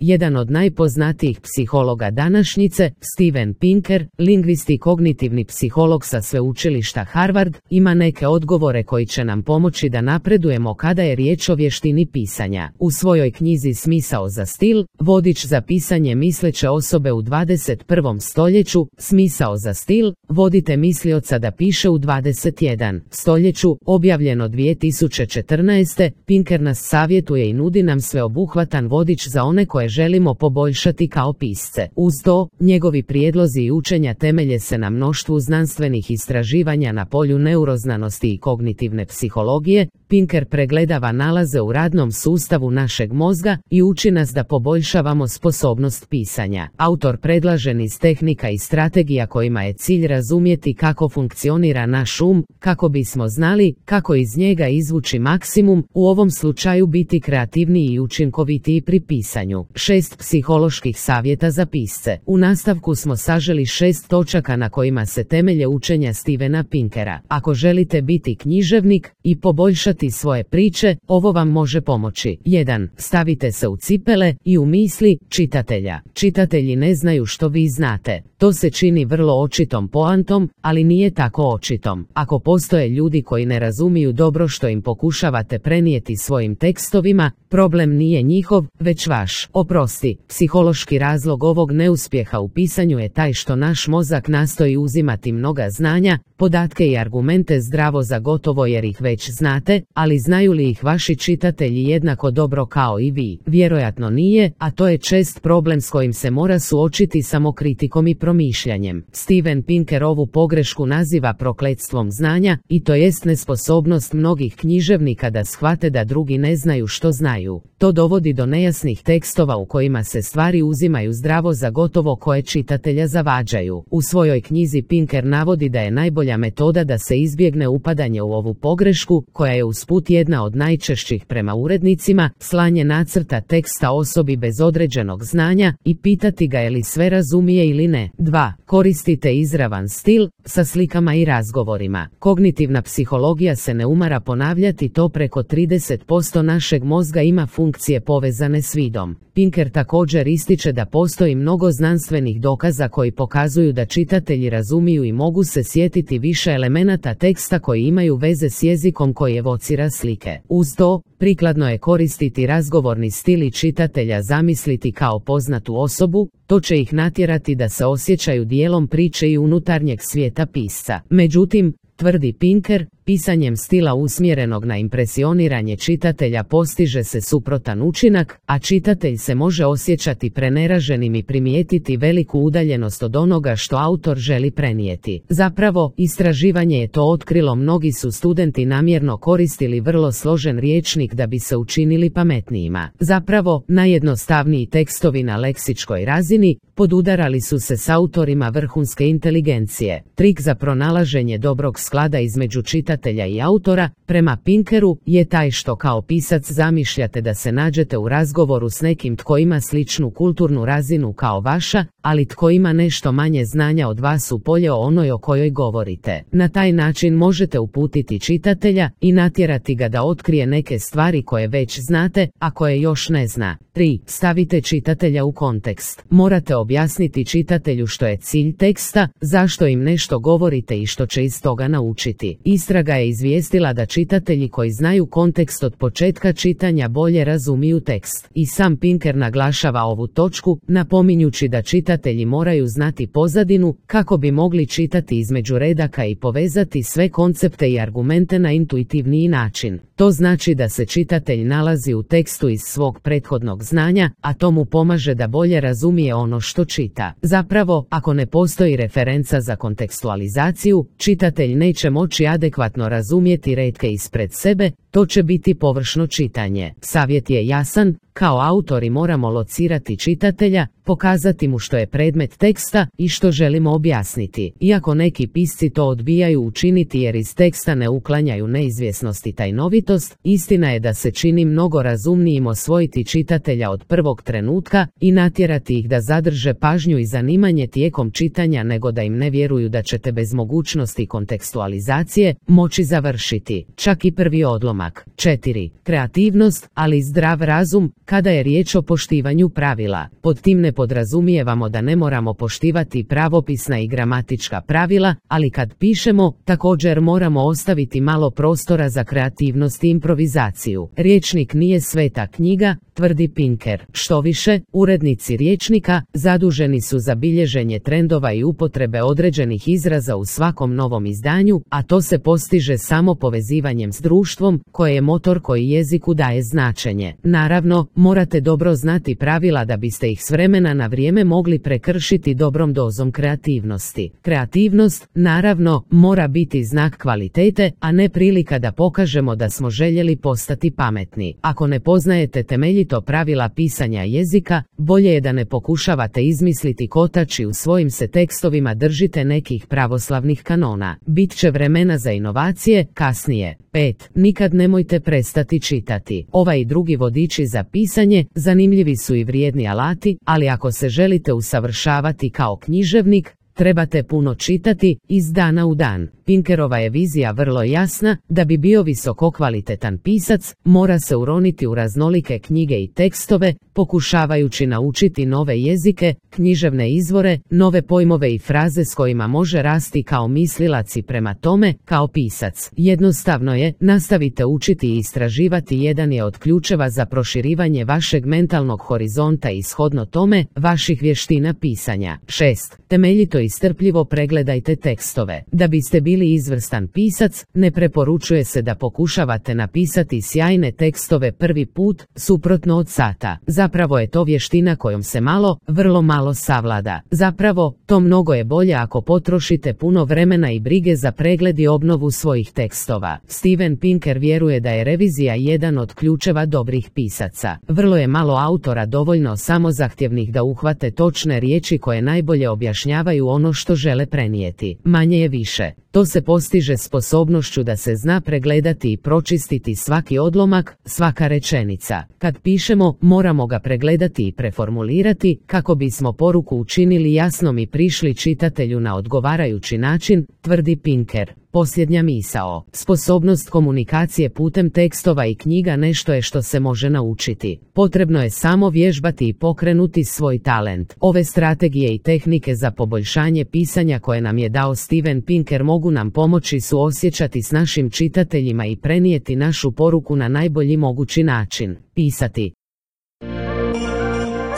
jedan od najpoznatijih psihologa današnjice, Steven Pinker, lingvist i kognitivni psiholog sa sveučilišta Harvard, ima neke odgovore koji će nam pomoći da napredujemo kada je riječ o vještini pisanja. U svojoj knjizi Smisao za stil, vodič za pisanje misleće osobe u 21. stoljeću, Smisao za stil, vodite mislioca da piše u 21. stoljeću, objavljeno 2014. Pinker nas savjetuje i nudi nam sveobuhvatan vodič za one koje želimo poboljšati kao pisce. Uz to, njegovi prijedlozi i učenja temelje se na mnoštvu znanstvenih istraživanja na polju neuroznanosti i kognitivne psihologije. Pinker pregledava nalaze u radnom sustavu našeg mozga i uči nas da poboljšavamo sposobnost pisanja. Autor predlaže niz tehnika i strategija kojima je cilj razumjeti kako funkcionira naš kako bismo znali kako iz njega izvući maksimum, u ovom slučaju biti kreativniji i učinkovitiji pri pisanju. 6 psiholoških savjeta za pisce. U nastavku smo saželi 6 točaka na kojima se temelje učenja Stevena Pinkera. Ako želite biti književnik i poboljšati svoje priče, ovo vam može pomoći. 1. Stavite se u cipele i u misli čitatelja. Čitatelji ne znaju što vi znate. To se čini vrlo očitom poantom, ali nije tako očitom. Ako postoje ljudi koji ne razumiju dobro što im pokušavate prenijeti svojim tekstovima, problem nije njihov, već vaš. Oprosti, psihološki razlog ovog neuspjeha u pisanju je taj što naš mozak nastoji uzimati mnoga znanja, podatke i argumente zdravo za gotovo jer ih već znate, ali znaju li ih vaši čitatelji jednako dobro kao i vi? Vjerojatno nije, a to je čest problem s kojim se mora suočiti samokritikom i promišljanjem. Steven Pinker ovu pogrešku naziva prokletstvom znanja, i to jest nesposobnost mnogih književnika da shvate da drugi ne znaju što znaju. To dovodi do nejasnih tekstova u kojima se stvari uzimaju zdravo za gotovo koje čitatelja zavađaju. U svojoj knjizi Pinker navodi da je najbolja metoda da se izbjegne upadanje u ovu pogrešku, koja je usput jedna od najčešćih prema urednicima, slanje nacrta teksta osobi bez određenog znanja i pitati ga je li sve razumije ili ne. 2. Koristite izravan stil sa slikama i razgovorima. Kognitivna psihologija se ne umara ponavljati to, preko 30% našeg mozga ima funkcije povezane s vidom. Pinker također ističe da postoji mnogo znanstvenih dokaza koji pokazuju da čitatelji razumiju i mogu se sjetiti više elemenata teksta koji imaju veze s jezikom koji evocira slike. Uz to, prikladno je koristiti razgovorni stil i čitatelja zamisliti kao poznatu osobu, to će ih natjerati da se osjećaju dijelom priče i unutarnjeg svijeta pisca. Međutim, tvrdi Pinker, pisanjem stila usmjerenog na impresioniranje čitatelja postiže se suprotan učinak, a čitatelj se može osjećati preneraženim i primijetiti veliku udaljenost od onoga što autor želi prenijeti. Zapravo, istraživanje je to otkrilo, mnogi su studenti namjerno koristili vrlo složen rječnik da bi se učinili pametnijima. Zapravo, najjednostavniji tekstovi na leksičkoj razini podudarali su se s autorima vrhunske inteligencije. Trik za pronalaženje dobrog sklada između čitatelja i autora, prema Pinkeru, je taj što kao pisac zamišljate da se nađete u razgovoru s nekim tko ima sličnu kulturnu razinu kao vaša, ali tko ima nešto manje znanja od vas u polje o onoj o kojoj govorite. Na taj način možete uputiti čitatelja i natjerati ga da otkrije neke stvari koje već znate, a koje još ne zna. 3. Stavite čitatelja u kontekst. Morate objasniti čitatelju što je cilj teksta, zašto im nešto govorite i što će iz toga naučiti. Istraga je izvijestila da čitatelji koji znaju kontekst od početka čitanja bolje razumiju tekst. I sam Pinker naglašava ovu točku, napominjući da čitatelji moraju znati pozadinu kako bi mogli čitati između redaka i povezati sve koncepte i argumente na intuitivniji način. To znači da se čitatelj nalazi u tekstu iz svog prethodnog znanja, a to mu pomaže da bolje razumije ono što čita. Zapravo, ako ne postoji referenca za kontekstualizaciju, čitatelj neće moći adekvatno razumjeti retke ispred sebe, to će biti površno čitanje. Savjet je jasan, kao autori moramo locirati čitatelja, pokazati mu što je predmet teksta i što želimo objasniti. Iako neki pisci to odbijaju učiniti jer iz teksta ne uklanjaju neizvjesnost i tajnovitost, istina je da se čini mnogo razumnijim osvojiti čitatelja od prvog trenutka i natjerati ih da zadrže pažnju i zanimanje tijekom čitanja nego da im ne vjeruju da ćete bez mogućnosti kontekstualizacije moći završiti čak i prvi odlomak. odlomak. 4. Kreativnost, ali i zdrav razum, kada je riječ o poštivanju pravila. Pod tim ne podrazumijevamo da ne moramo poštivati pravopisna i gramatička pravila, ali kad pišemo, također moramo ostaviti malo prostora za kreativnost i improvizaciju. Rječnik nije sveta knjiga, tvrdi Pinker. Štoviše, urednici rječnika zaduženi su za bilježenje trendova i upotrebe određenih izraza u svakom novom izdanju, a to se postiže samo povezivanjem s društvom, koje je motor koji jeziku daje značenje. Naravno, morate dobro znati pravila da biste ih s vremena na vrijeme mogli prekršiti dobrom dozom kreativnosti. Kreativnost, naravno, mora biti znak kvalitete, a ne prilika da pokažemo da smo željeli postati pametni. Ako ne poznajete temeljito pravila pisanja jezika, bolje je da ne pokušavate izmisliti kotač i u svojim se tekstovima držite nekih pravoslavnih kanona. Bit će vremena za inovacije kasnije. 5. Nikad nemojte prestati čitati. Ovaj i drugi vodiči za pisanje zanimljivi su i vrijedni alati, ali ako se želite usavršavati kao književnik, trebate puno čitati iz dana u dan. Pinkerova je vizija vrlo jasna, da bi bio visokokvalitetan pisac, mora se uroniti u raznolike knjige i tekstove, pokušavajući naučiti nove jezike, književne izvore, nove pojmove i fraze s kojima može rasti kao mislilac i prema tome, kao pisac. Jednostavno je, nastavite učiti i istraživati, jedan je od ključeva za proširivanje vašeg mentalnog horizonta i shodno tome, vaših vještina pisanja. 6. Temeljito i strpljivo pregledajte tekstove. Da biste bili izvrstan pisac, ne preporučuje se da pokušavate napisati sjajne tekstove prvi put, suprotno od sata. Zapravo je to vještina kojom se vrlo malo savlada. Zapravo, to mnogo je bolje ako potrošite puno vremena i brige za pregled i obnovu svojih tekstova. Steven Pinker vjeruje da je revizija jedan od ključeva dobrih pisaca. Vrlo je malo autora dovoljno samozahtjevnih da uhvate točne riječi koje najbolje objašnjavaju ono što žele prenijeti. Manje je više. To se postiže sposobnošću da se zna pregledati i pročistiti svaki odlomak, svaka rečenica. Kad pišemo, moramo ga pregledati i preformulirati, kako bismo poruku učinili jasnom i prišli čitatelju na odgovarajući način, tvrdi Pinker. Posljednja misao. Sposobnost komunikacije putem tekstova i knjiga nešto je što se može naučiti. Potrebno je samo vježbati i pokrenuti svoj talent. Ove strategije i tehnike za poboljšanje pisanja koje nam je dao Steven Pinker mogu nam pomoći suosjećati s našim čitateljima i prenijeti našu poruku na najbolji mogući način. Pisati.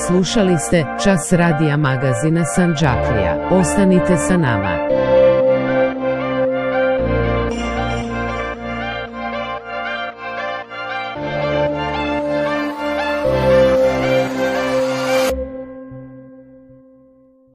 Slušali ste Čas radija magazina Sandžaklija. Ostanite sa nama.